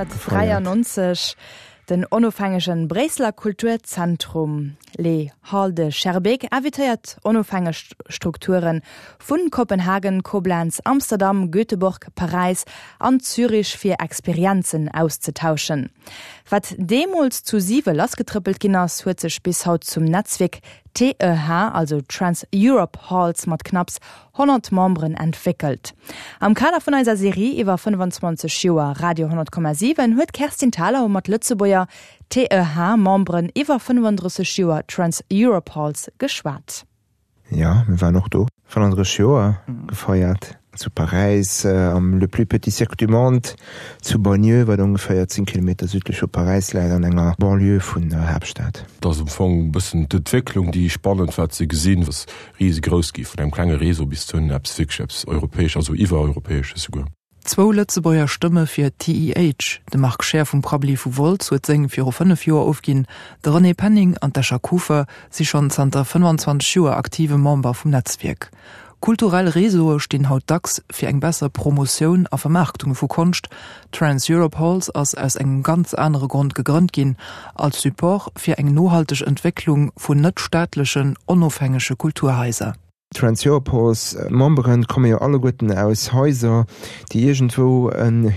gefeiert. 1993 den onofhängege Bréisseler Kulturzentrum Les Halles de Schaerbeek invitéiert onofhängeg Strukture vu Kopenhagen, Koblenz, Amsterdam, Göteborg, Paräis an Zürich fir Experienzen auszetauschen. Wat deemools zu siwe lassgetrëppelt ginn ass, huet sech bis haut zum Netzwierk TEH, also Trans Europe Halls mat knapps 100 Memberen entwéckelt. Am Kader vun eiser Serie iwwer 25 Joer Radio 10,7 huet d'Kerstin Thalau mat Lëtzebuerger TEH-Memberen iwwer 35 Joer Trans Europe Halls geschwat. Jo, mir waren och do. 35 Joer gefeiert zu Paräis am Le plus petit cirque du monde zu Bagneux, wat ongeféier 10 Kilometer südlech vu Paräis läit, an enger Banlieue vun der Haaptstad. Et ass am Fong e bëssen d'Entwécklung, déi spannend war ze gesinn, ass risegrouss gi vun engem klenge Réseau bis zu eppes wierklech eppes Europäesch, also iwwereuropäesches souguer. Zwou Lëtzebuerger Stëmme fir d'TEH, De Marc Scheer vum Prabbeli vu Wolz huet seng viru 5 Joer ofginn, de René Penning an d'Escher Kufer si schonn zanter 25 Joer aktive Member vum Netzwierk. Kulturell Réseaue stinn haut dacks fir eng besser Promotioun a Vermaarktung vu Konscht. Trans Europe Halls ass aus engem ganz anere Grond gegrënnt ginn, als Support fir eng nohalteg Entwécklung vun net-staatlechen, onofhängege Kulturhaiser. D'Trans-Europos Memberen komme jo alleguerten aus Haiser, déi iergendwou en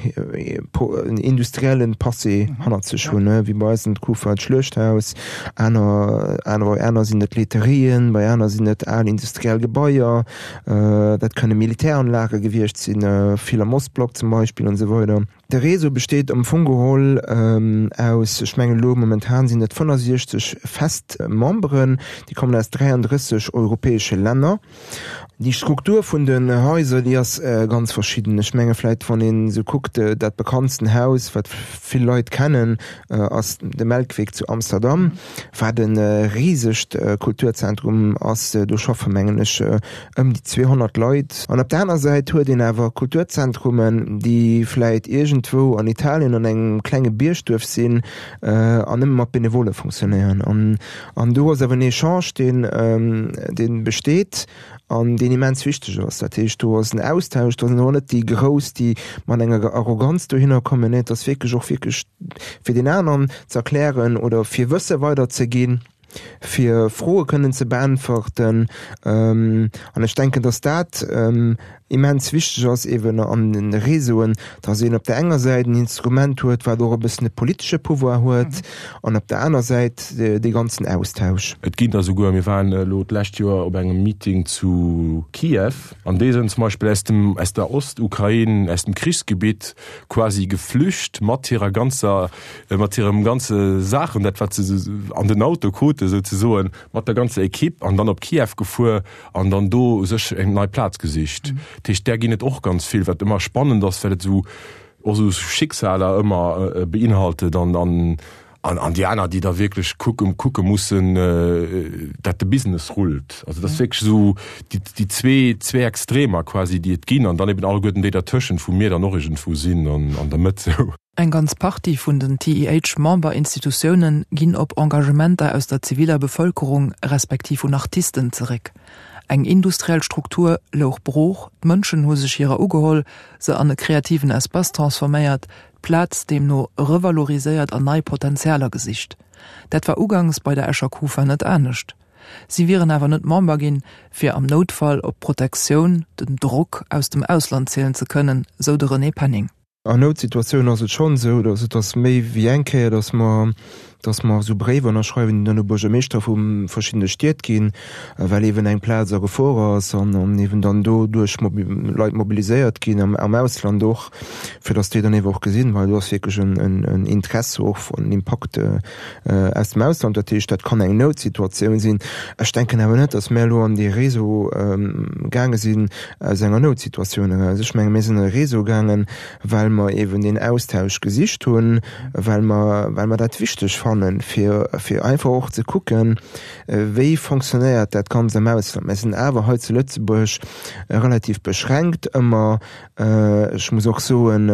industriellen Passé hannert sech hunn, wéi bei eis d'Kufa d'Schluechthaus, aner, aner, bei aner sinn et Laiterien, bei aner sinn et al industriell Gebaier, dat kënne Militäranlage gewiescht sinn, vill am Ostblock zum Beispill an esou weider. De Réseau besteet am Fong geholl aus, ech mengen elo momentan sinn et 65 fest Memberen, déi kommen aus 33 europäesche Länner. Déi Struktur vun den Haiser, déi ass ganz verschidden. Ech menge vläit, wann een esou kuckt, dat bekanntsten Haus, wat vill Leit kennen, ass de Melkweg zu Amsterdam, wat e risegt Kulturzentrum ass. Do schaffe mengen ech ëm déi 200 Leit. An op der aner Säit huet een awer Kulturzentrumen, déi vläit iergendwou an Italien an engem klenge Biergduerf sinn an nëmme mat Benevole fonctionnéieren. An do ass awer en Echange, deen, dee besteet an deen immens wichteg ass. Dat heescht, do ass en Austausch, do sinn och net déi Grouss, déi mat enger Arroganz dohinner kommen. Nee, et ass wierklech och wierklech fir deen aneren ze erklären oder fir Wësse weiderzeginn. fir Froe kënnen ze beäntwerten. An ech denken, dass dat immens wichteg ass eeben an de Réseauen, dass een op der enger Säit en Instrument huet, wat och e bëssen e politesche Pouvoir huet, an op der aner Säit dee ganzen Austausch. Et ginn der souguer, mir waren elo d'lescht Joer op engem Meeting zu Kiew, an déi sinn zum Beispill aus dem, aus der Ostukrain, aus dem Krichsgebitt quasi geflücht mat hirer ganzer mat hirem ganze Saachen, dat wat se an den Auto krute souzesoen, mat der ganzer Equipe an dann op Kiew gefuer an dann do sech eng nei Plaz gesicht. Dat heescht, där ginn et och ganz vill, wat ëmmer spannend ass, well et esou och esou Schicksaler ëmmer beinhaltet an an an déi aner, déi da wierklech kucke kucke mussen, dat de Business rullt. Also dat ass wierklech esou déi déi zwee zwee Extremer quasi, déi et ginn an dann eben alleguerten déi dertëschent, wou mir dann och iergendwou sinn an an der Mëtt esou. Eng ganz Partie vun den TIH-Memberinstitutioune ginn op Engagementer aus der ziviler Bevëlkerung respektiv vun Artisten zeréck. Eng industriell Struktur louch brooch, d'Mënschen hu sech hirer ugeholl, se an e kreativen Espace transforméiert, d'Plaz deemno revaloriséiert an nei Potentialer gesicht. Dat war ugangs bei der Escher Kufa net anescht. Si wieren awer net Member ginn, fir am Noutfall op d'Protektioun, den Drock aus dem Ausland zielen ze kënnen, sou de René Penning. An Noutsituatiounen ass et schonn esou, datt et ass méi wéi eng Kéier, datt mer, datt mer esou Bréiwer ënnerschreiwen, déi dann u Buergermeeschter vu verschiddene Stied ginn, well eeben eng Plaz a Gefor ass an an eeben dann doduerch Leit mobiliséiert ginn, am am Ausland och, fir datt déi dann eeben och gesinn, well do ass wierklech en en Interesse och an Impakt aus dem Ausland. Dat heescht, dat kann eng Noutsituatioun sinn. Ech denken awer net, datt mir elo an dee Réseau gaange sinn aus enger Noutsituatioun eraus. Ech menge mir sinn an e Réseau gaangen, well mer eeben deen Austausch gesicht hunn, well mer, well mer dat wichteg fannen, fir, fir einfach och ze kucken, wéi fonctionnéiert dat Ganzt am Ausland. Mir sinn awer hei zu Lëtzebuerg relativ beschränkt ëmmer. Ech muss och soen,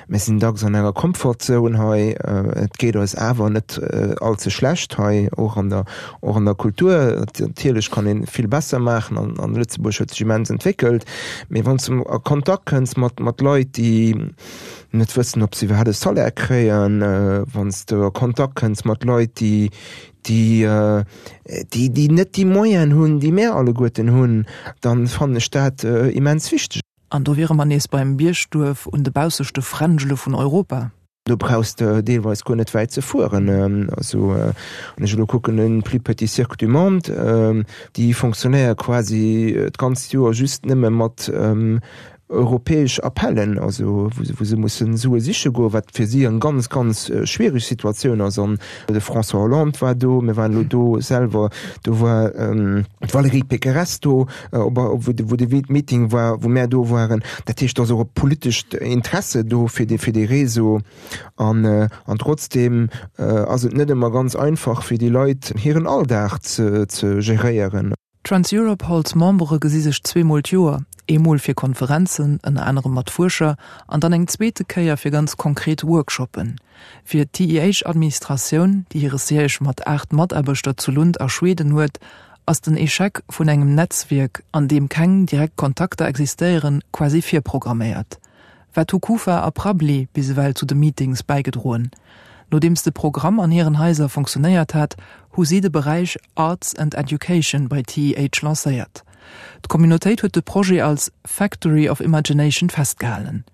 mir sinn dacks an enger Comfortzone hei. Et geet eis awer net all ze schlecht hei, och an der, och an der Kultur. Natierlech kann ee vill besser maachen an, an Lëtzebuerg huet sech immens entwéckelt. Mee wann s de a Kontakt kënns mat, mat Leit, déi. net wëssen, ob se iwwerhaapt e Salaire kréien, wann s de a Kontakt kënns mat Leit, déi, déi, déi, déi net déi Moyenen hunn, déi mär alleguerten hunn, dann fannen ech dat immens wichteg. An do wiere mer nees beim Biergduerf un de bausseschte Fränjele vun Europa. Do brauchs de deelweis guer net wäit ze fueren. Also wann ech elo kucken, den plus petit cirque du monde, déi fonctionnéiere quasi d'ganzt Joer just nëmme mat europäesch Appellen, also wou se mussen Sue siche goen, wat fir si eng ganz, ganz schwiereg Situatioun ass. An de François Hollande war do, mir waren elo do selwer, do war d'Valérie Pécresse do, wou de Meeting war, wou mär do waren. Dat heescht, do ass och e politescht Interesse do fir dee, fir dee Réseau. An, an trotzdeem ass et net ëmmer ganz einfach fir déi Leit hiren Alldag ze, ze geréieren. D'Trans-Europe Halls Membere gesi sech zweemol d'Joer, eemol fir Konferenzen, ënner anerem mat Fuerscher, an dann eng zweete Kéier fir ganz konkret Workshoppen. Fir d'TEH-Administratioun, déi hire Siège mat 8 Mataarbechter zu Lund a Schweden huet, ass den Echec vun engem Netzwierk, an deem keng direkt Kontakter existéieren, quasi virprogramméiert. Wat hu Kufa a Prabli bis ewell zu de Meetings bäigedroen? Nodeems de Programm an hiren Haiser funktionéiert hat, hu si de Beräich Arts and Education bei TEH lancéiert. D'Communautéit huet de Projet als Factory of Imagination festgehalen.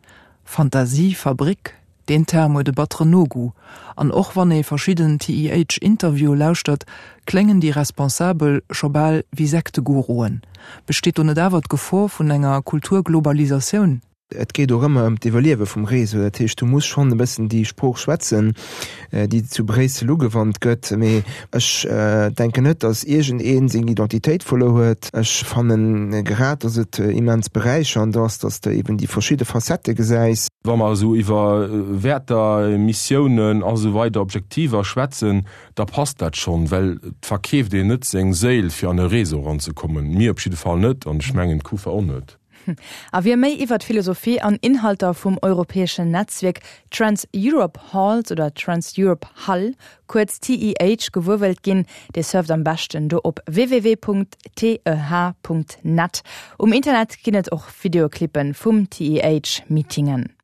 Fantasie-Fabrik? Deen Term huet e batteren Nogoût. An och wann ee verschidden TEH-Interviewe lauschtert, kléngen déi Responsabel scho bal wéi Sekteguruen. Besteet do net awer d'Gefor vun enger Kulturglobalisatioun? Et geet och ëmmer ëm d'Iwwerliewe vum Réseau. Dat heescht, du muss schonn e bëssen déi Sprooch schwätzen, déi zu Bréissel ugewannt gëtt. Mee ech denken net, datt iergendee seng Identitéit verluer huet. Ech fannen grad, datt et immens beräichernd ass, datt s de eben déi verschidde Facettë gesäis. Wa mer esou iwwer Wäerter, Missiounen a sou weider, Objektiver schwätzen, da passt dat schonn, well et verkeeft een net seng Séil, fir an e Réseau eranzekommen. Mir op jidde Fall net an ech mengen d'Kufa och net. A wie méi iwwer d'Philosophie an Inhalter vum europäeschen Netzwierk Trans-Europe Halls oder Trans-Europe Hall, kuerz TEH, gewuer wëllt ginn, dee surft am beschten do op www.teh.net. Um Internet ginn et och Videoclippen vum TEH-Meetingen.